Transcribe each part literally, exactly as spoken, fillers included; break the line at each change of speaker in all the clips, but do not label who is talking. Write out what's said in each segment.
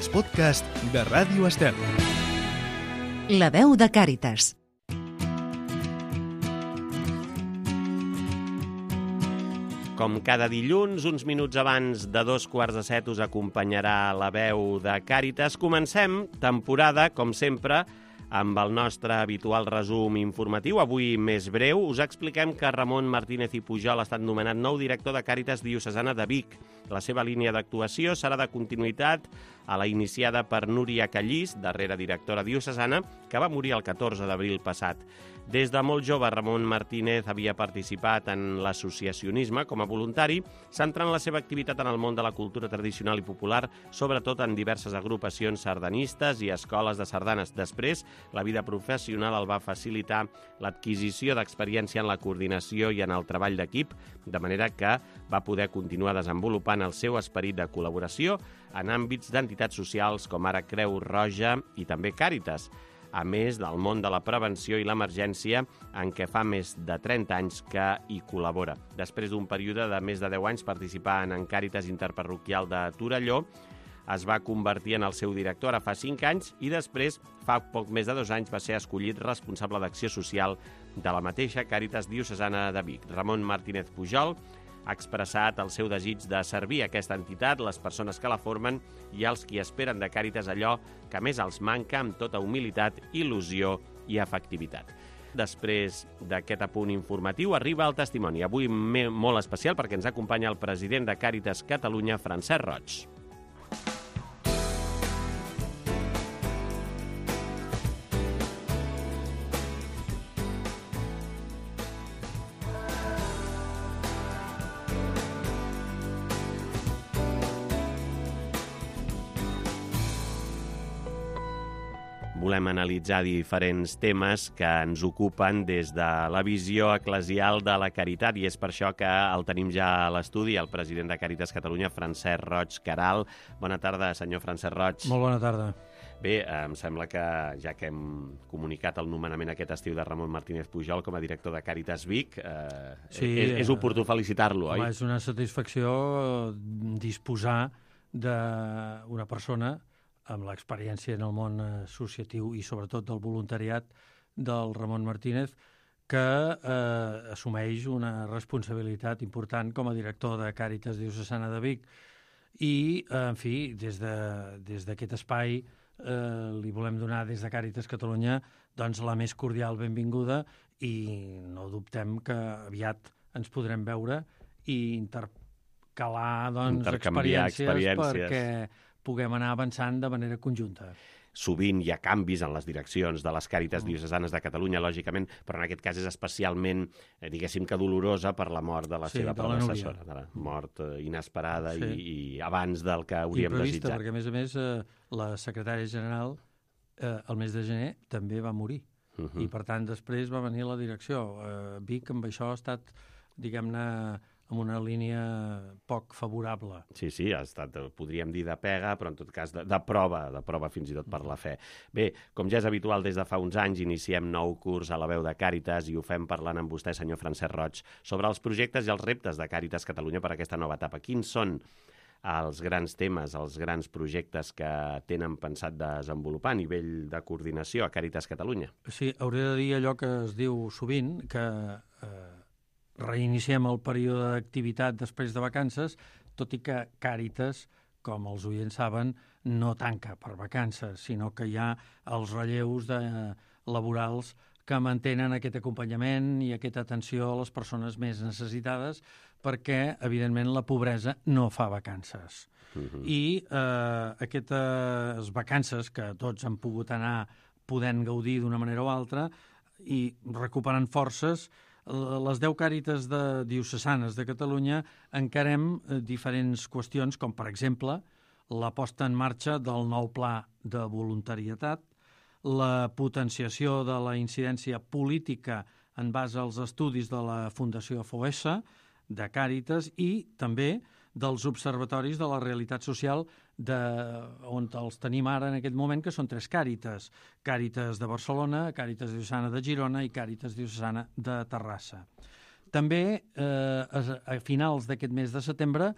els podcasts de Ràdio Estel.
La veu de Càritas.
Com cada dilluns, uns minuts abans de dos quarts de set us acompanyarà la veu de Càritas. Comencem temporada, com sempre, amb el nostre habitual resum informatiu. Avui més breu, us expliquem que Ramon Martínez i Pujol ha estat nomenat nou director de Càritas Diocesana de Vic. La seva línia d'actuació serà de continuïtat a la iniciada per Núria Callís, darrera directora diocesana, que va morir el catorze d'abril passat. Des de molt jove, Ramon Martínez havia participat en l'associacionisme com a voluntari, centrant la seva activitat en el món de la cultura tradicional i popular, sobretot en diverses agrupacions sardanistes i escoles de sardanes. Després, la vida professional el va facilitar l'adquisició d'experiència en la coordinació i en el treball d'equip, de manera que va poder continuar desenvolupant el seu esperit de col·laboració en àmbits d'entitats socials com ara Creu Roja i també Càritas, a més del món de la prevenció i l'emergència, en què fa més de trenta anys que hi col·labora. Després d'un període de més de deu anys participant en Càritas Interparroquial de Torelló, es va convertir en el seu director ara fa cinc anys i després, fa poc més de dos anys, va ser escollit responsable d'acció social de la mateixa Càritas Diocesana de Vic. Ramon Martínez Pujol ha expressat el seu desig de servir aquesta entitat, les persones que la formen i els qui esperen de Càritas allò que més els manca amb tota humilitat, il·lusió i efectivitat. Després d'aquest apunt informatiu arriba el testimoni. Avui molt especial perquè ens acompanya el president de Càritas Catalunya, Francesc Roig. Volem analitzar diferents temes que ens ocupen des de la visió eclesial de la caritat i és per això que el tenim ja a l'estudi, el president de Càritas Catalunya, Francesc Roig Queralt. Bona tarda, senyor Francesc Roig.
Molt bona tarda.
Bé, em sembla que ja que hem comunicat el nomenament aquest estiu de Ramon Martínez Pujol com a director de Càritas Vic, eh, sí, és, és oportú felicitar-lo, oi?
Home, és una satisfacció disposar d'una persona amb l'experiència en el món associatiu i sobretot del voluntariat del Ramon Martínez, que eh, assumeix una responsabilitat important com a director de Càritas Diocesana de Vic. I, en fi, des de, des d'aquest espai eh, li volem donar des de Càritas Catalunya doncs, la més cordial benvinguda i no dubtem que aviat ens podrem veure i intercalar doncs, experiències, experiències perquè puguem anar avançant de manera conjunta.
Sovint hi ha canvis en les direccions de les Càritas Diocesanes de Catalunya, lògicament, però en aquest cas és especialment, eh, diguéssim que dolorosa per la mort de la
sí,
seva
de
predecessora, de la mort eh, inesperada sí. i, i abans del que hauríem
imprevista,
desitjat.
Perquè, a més a més, eh, la secretària general eh, el mes de gener també va morir. Uh -huh. I, per tant, després va venir la direcció. Eh, Vic, amb això, ha estat, diguem-ne, amb una línia poc favorable.
Sí, sí, ha estat, podríem dir, de pega, però en tot cas de, de prova, de prova fins i tot per la fe. Bé, com ja és habitual, des de fa uns anys iniciem nou curs a la veu de Càritas i ho fem parlant amb vostè, senyor Francesc Roig, sobre els projectes i els reptes de Càritas Catalunya per a aquesta nova etapa. Quins són els grans temes, els grans projectes que tenen pensat desenvolupar a nivell de coordinació a Càritas Catalunya?
Sí, hauré de dir allò que es diu sovint, que eh, reiniciem el període d'activitat després de vacances, tot i que Càritas, com els oients saben, no tanca per vacances, sinó que hi ha els relleus de, laborals que mantenen aquest acompanyament i aquesta atenció a les persones més necessitades perquè, evidentment, la pobresa no fa vacances. Uh-huh. I eh, aquestes vacances que tots han pogut anar podent gaudir d'una manera o altra i recuperant forces, les deu Càritas de diocesanes de Catalunya encarem diferents qüestions, com per exemple la posta en marxa del nou pla de voluntarietat, la potenciació de la incidència política en base als estudis de la Fundació Foessa, de Càritas i també dels observatoris de la realitat social de, on els tenim ara en aquest moment, que són tres Càritas. Càritas de Barcelona, Càritas Diocesana de Girona i Càritas Diocesana de Terrassa. També, eh, a finals d'aquest mes de setembre,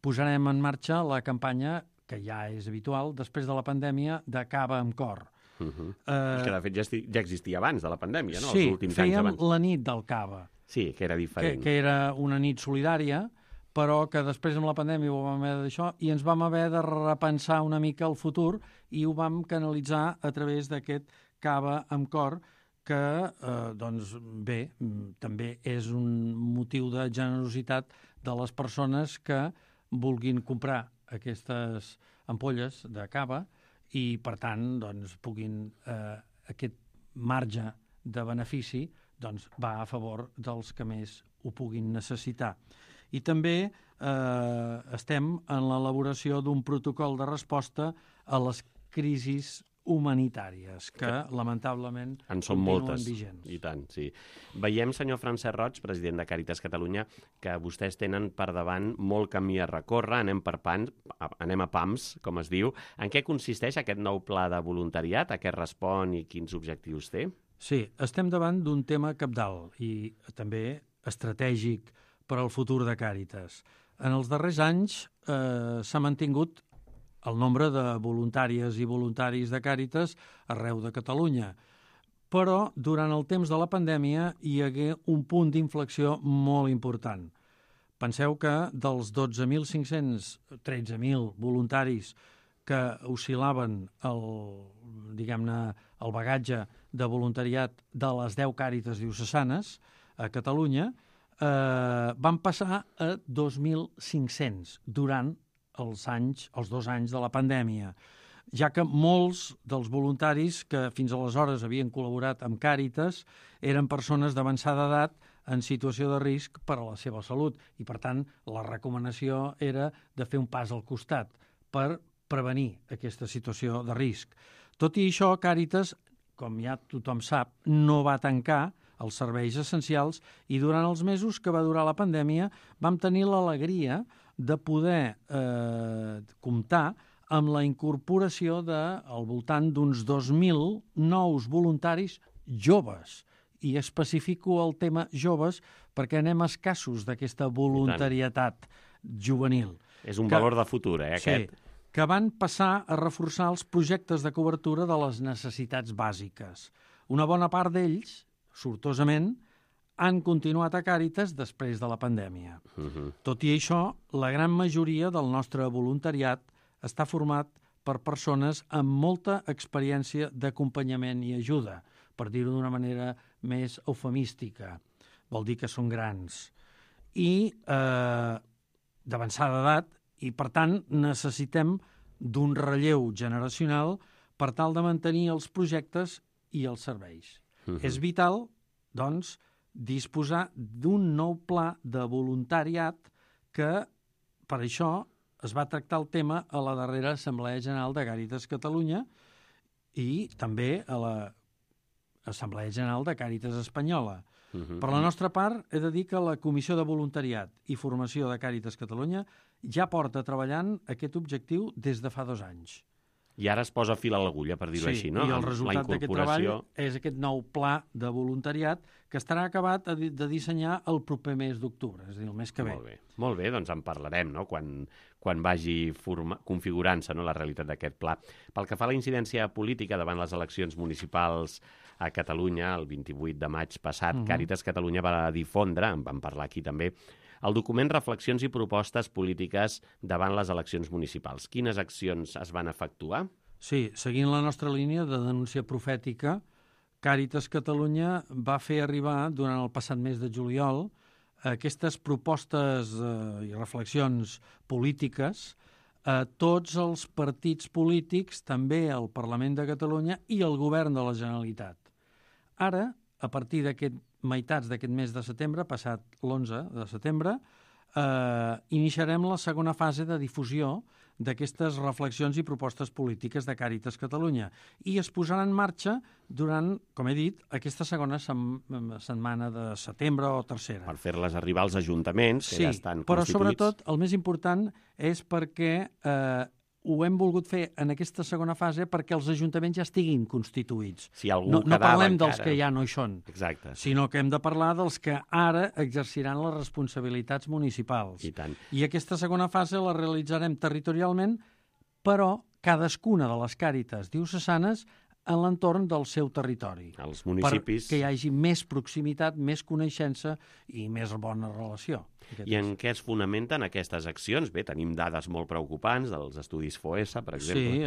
posarem en marxa la campanya que ja és habitual, després de la pandèmia, de cava amb cor.
Uh -huh. uh, que, de fet, ja, esti... ja existia abans de la pandèmia, no?
Sí,
Els últims anys abans.
fèiem la nit del cava.
Sí, que era diferent.
Que, que era una nit solidària, però que després amb la pandèmia ho vam haver d'això i ens vam haver de repensar una mica el futur i ho vam canalitzar a través d'aquest cava amb cor, que, eh, doncs, bé, també és un motiu de generositat de les persones que vulguin comprar aquestes ampolles de cava i, per tant, doncs, puguin, eh, aquest marge de benefici doncs, va a favor dels que més ho puguin necessitar. I també eh, estem en l'elaboració d'un protocol de resposta a les crisis humanitàries, que, que lamentablement
en són
continuen
moltes,
vigents.
I tant, sí. Veiem, senyor Francesc Roig, president de Càritas Catalunya, que vostès tenen per davant molt camí a recórrer, anem per pans, anem a pams, com es diu. En què consisteix aquest nou pla de voluntariat, a què respon i quins objectius té?
Sí, estem davant d'un tema cabdal i també estratègic per al futur de Càritas. En els darrers anys eh, s'ha mantingut el nombre de voluntàries i voluntaris de Càritas arreu de Catalunya. Però durant el temps de la pandèmia hi hagué un punt d'inflexió molt important. Penseu que dels dotze mil cinc-cents, tretze mil voluntaris que oscil·laven el, diguem-ne, el bagatge de voluntariat de les deu Càritas diocesanes a Catalunya, eh, van passar a dos mil cinc-cents durant els anys, els dos anys de la pandèmia, ja que molts dels voluntaris que fins aleshores havien col·laborat amb Càritas eren persones d'avançada edat en situació de risc per a la seva salut i, per tant, la recomanació era de fer un pas al costat per prevenir aquesta situació de risc. Tot i això, Càritas, com ja tothom sap, no va tancar els serveis essencials i durant els mesos que va durar la pandèmia vam tenir l'alegria de poder eh, comptar amb la incorporació de, al voltant d'uns dos mil nous voluntaris joves. I especifico el tema joves perquè anem escassos d'aquesta voluntarietat juvenil.
És un
que,
valor de futur, eh, aquest?
Sí, que van passar a reforçar els projectes de cobertura de les necessitats bàsiques. Una bona part d'ells, sortosament, han continuat a Càritas després de la pandèmia. Uh-huh. Tot i això, la gran majoria del nostre voluntariat està format per persones amb molta experiència d'acompanyament i ajuda, per dir-ho d'una manera més eufemística. Vol dir que són grans. I eh, d'avançada edat, i per tant necessitem d'un relleu generacional per tal de mantenir els projectes i els serveis. Uh-huh. És vital, doncs, disposar d'un nou pla de voluntariat que, per això, es va tractar el tema a la darrera Assemblea General de Càritas Catalunya i també a l'Assemblea General de Càritas Espanyola. Uh-huh. Per la nostra part, he de dir que la Comissió de Voluntariat i Formació de Càritas Catalunya ja porta treballant aquest objectiu des de fa dos anys.
I ara es posa fil a l'agulla, per dir-ho
sí,
així, no?
I el resultat d'aquest treball és aquest nou pla de voluntariat que estarà acabat de dissenyar el proper mes d'octubre, és a dir, el mes que ve.
Molt bé, molt bé, doncs en parlarem, no?, quan, quan vagi forma... configurant-se, no?, la realitat d'aquest pla. Pel que fa a la incidència política davant les eleccions municipals a Catalunya, el vint-i-vuit de maig passat, uh-huh. Càritas Catalunya va difondre, en vam parlar aquí també, el document Reflexions i propostes polítiques davant les eleccions municipals. Quines accions es van efectuar?
Sí, seguint la nostra línia de denúncia profètica, Càritas Catalunya va fer arribar durant el passat mes de juliol aquestes propostes eh, i reflexions polítiques a tots els partits polítics, també al Parlament de Catalunya i al Govern de la Generalitat. Ara, a partir d'aquest meitats d'aquest mes de setembre, passat l'onze de setembre, eh, iniciarem la segona fase de difusió d'aquestes reflexions i propostes polítiques de Càritas Catalunya i es posarà en marxa durant, com he dit, aquesta segona sem setmana de setembre o tercera.
Per fer-les arribar als ajuntaments, que
sí,
ja estan
però
constituïts.
Sobretot el més important és perquè eh, ho hem volgut fer en aquesta segona fase perquè els ajuntaments ja estiguin constituïts.
Si algú
no, no parlem
encara...
dels que ja no hi són,
Exacte.
sinó que hem de parlar dels que ara exerciran les responsabilitats municipals.
I tant.
I aquesta segona fase la realitzarem territorialment però cadascuna de les càritas diocesanes en l'entorn del seu territori.
Els municipis...
Perquè hi hagi més proximitat, més coneixença i més bona relació.
I en què es fonamenten aquestes accions? Bé, tenim dades molt preocupants dels estudis FOESA, per exemple.
Sí,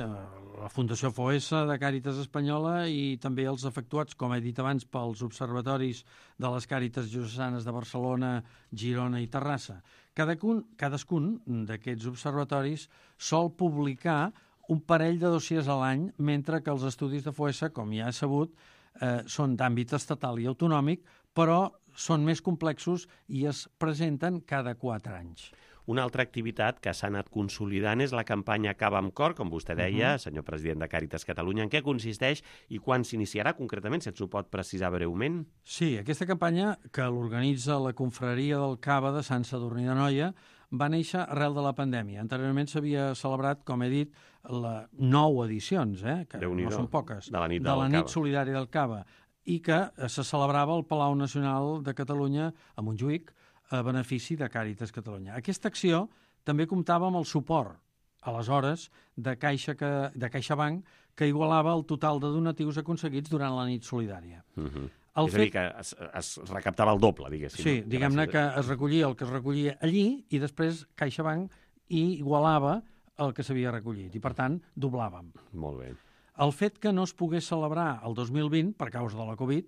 la Fundació FOESA de Càritas Espanyola i també els efectuats, com he dit abans, pels observatoris de les Càritas Diocesanes de Barcelona, Girona i Terrassa. Cadascun, cadascun d'aquests observatoris sol publicar un parell de dossiers a l'any, mentre que els estudis de FOESA, com ja he sabut, eh, són d'àmbit estatal i autonòmic, però són més complexos i es presenten cada quatre anys.
Una altra activitat que s'ha anat consolidant és la campanya Cava amb Cor, com vostè deia, uh -huh. senyor president de Càritas Catalunya. En què consisteix i quan s'iniciarà concretament, si ens ho pot precisar breument?
Sí, aquesta campanya, que l'organitza la confraria del Cava de Sant Sadurní d'Anoia, va néixer arrel de la pandèmia. Anteriorment s'havia celebrat, com he dit, la nou edicions, eh, que no són poques,
de la nit,
de la nit solidària del Cava, i que se celebrava al Palau Nacional de Catalunya, a Montjuïc, a benefici de Càritas Catalunya. Aquesta acció també comptava amb el suport, aleshores, de, Caixa que, de CaixaBank, que igualava el total de donatius aconseguits durant la nit solidària.
Uh-huh. El és fet... a dir, que es, es recaptava el doble, diguéssim.
Sí, no? Diguem-ne que es recollia el que es recollia allí i després CaixaBank igualava el que s'havia recollit i, per tant, doblàvem.
Molt bé.
El fet que no es pogués celebrar el dos mil vint, per causa de la Covid,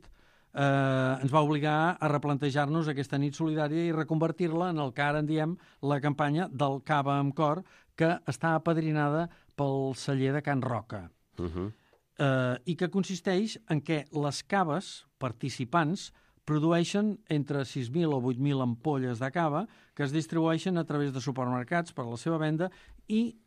eh, ens va obligar a replantejar-nos aquesta nit solidària i reconvertir-la en el que ara en diem la campanya del Cava amb Cor, que està apadrinada pel celler de Can Roca.
Uh-huh.
eh, i que consisteix en què les caves participants produeixen entre sis mil o vuit mil ampolles de cava que es distribueixen a través de supermercats per a la seva venda i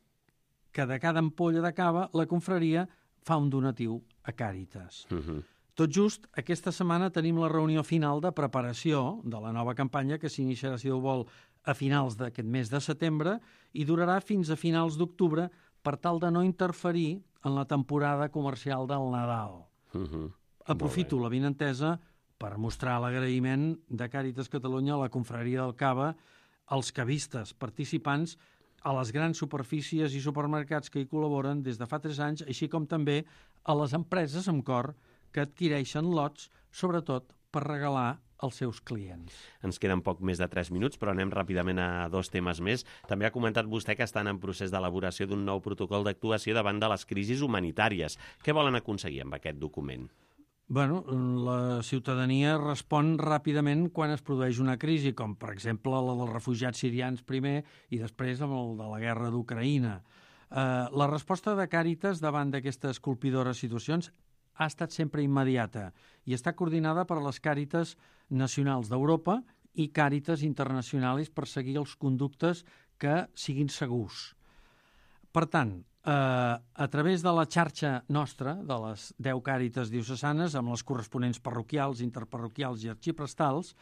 que de cada ampolla de cava la confraria fa un donatiu a Càritas.
Uh-huh.
Tot just aquesta setmana tenim la reunió final de preparació de la nova campanya que s'iniciarà, si Déu vol, a finals d'aquest mes de setembre i durarà fins a finals d'octubre per tal de no interferir en la temporada comercial del Nadal.
Uh-huh.
Aprofito la vinentesa per mostrar l'agraïment de Càritas Catalunya a la confraria del Cava, als cavistes participants, a les grans superfícies i supermercats que hi col·laboren des de fa tres anys, així com també a les empreses amb cor que adquireixen lots, sobretot per regalar als seus clients.
Ens queden poc més de tres minuts, però anem ràpidament a dos temes més. També ha comentat vostè que estan en procés d'elaboració d'un nou protocol d'actuació davant de les crisis humanitàries. Què volen aconseguir amb aquest document?
Bueno, la ciutadania respon ràpidament quan es produeix una crisi, com per exemple la dels refugiats sirians primer i després amb el de la guerra d'Ucraïna. Eh, la resposta de Càritas davant d'aquestes colpidores situacions ha estat sempre immediata i està coordinada per les Càritas nacionals d'Europa i Càritas internacionals per seguir els conductes que siguin segurs. Per tant, eh, a través de la xarxa nostra, de les deu Càritas diocesanes, amb les corresponents parroquials, interparroquials i arxiprestals,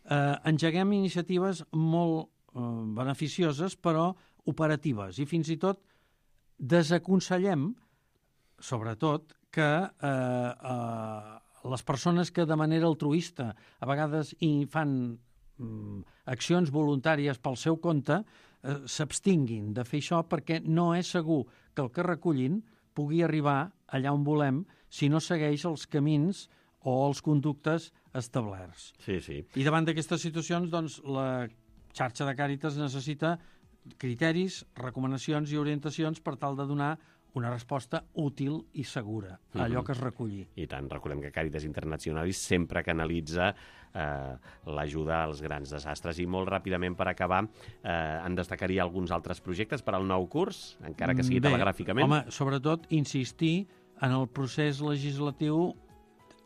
eh, engeguem iniciatives molt eh, beneficioses, però operatives, i fins i tot desaconsellem, sobretot, que eh, eh, les persones que de manera altruista a vegades hi fan mm, accions voluntàries pel seu compte eh, s'abstinguin de fer això perquè no és segur que el que recullin pugui arribar allà on volem si no segueix els camins o els conductes establerts.
Sí, sí.
I davant d'aquestes situacions, doncs, la xarxa de Càritas necessita criteris, recomanacions i orientacions per tal de donar una resposta útil i segura a allò que es reculli.
I tant, recordem que Càritas Internacionalis sempre canalitza eh, l'ajuda als grans desastres. I molt ràpidament, per acabar, eh, en destacaria alguns altres projectes per al nou curs, encara que sigui
Bé,
telegràficament.
Home, sobretot insistir en el procés legislatiu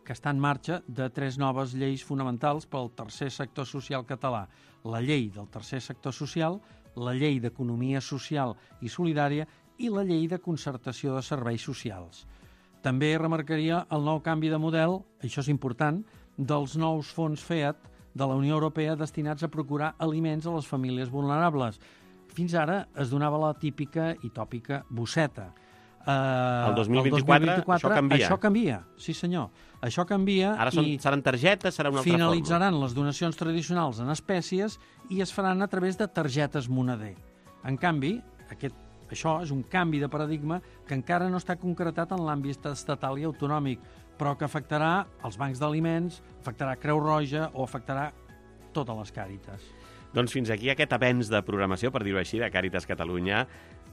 que està en marxa de tres noves lleis fonamentals pel tercer sector social català. La llei del tercer sector social, la llei d'economia social i solidària i la llei de concertació de serveis socials. També remarcaria el nou canvi de model, això és important, dels nous fons FEAD de la Unió Europea destinats a procurar aliments a les famílies vulnerables. Fins ara es donava la típica i tòpica bosseta.
Uh, el dos mil vint-i-quatre, el dos mil vint-i-quatre això canvia.
Això canvia, sí senyor. Això canvia.
Ara són,
i
seran targetes, serà una altra
finalitzaran
forma.
Les donacions tradicionals en espècies i es faran a través de targetes moneder. En canvi, aquest això és un canvi de paradigma que encara no està concretat en l'àmbit estatal i autonòmic, però que afectarà els bancs d'aliments, afectarà Creu Roja o afectarà totes les Càritas.
Doncs fins aquí aquest avenç de programació, per dir-ho així, de Càritas Catalunya,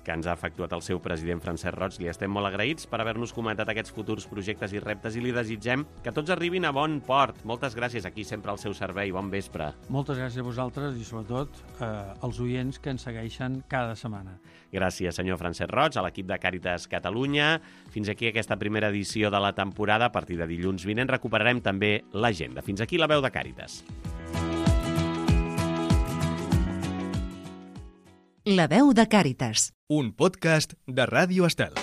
que ens ha efectuat el seu president Francesc Roig. Li estem molt agraïts per haver-nos comentat aquests futurs projectes i reptes i li desitgem que tots arribin a bon port. Moltes gràcies, aquí sempre al seu servei. Bon vespre.
Moltes gràcies a vosaltres i sobretot eh, als oients que ens segueixen cada setmana.
Gràcies, senyor Francesc Roig, a l'equip de Càritas Catalunya. Fins aquí aquesta primera edició de la temporada. A partir de dilluns vinent recuperarem també l'agenda. Fins aquí la veu de Càritas.
La veu de Càritas.
Un podcast de Ràdio Estel.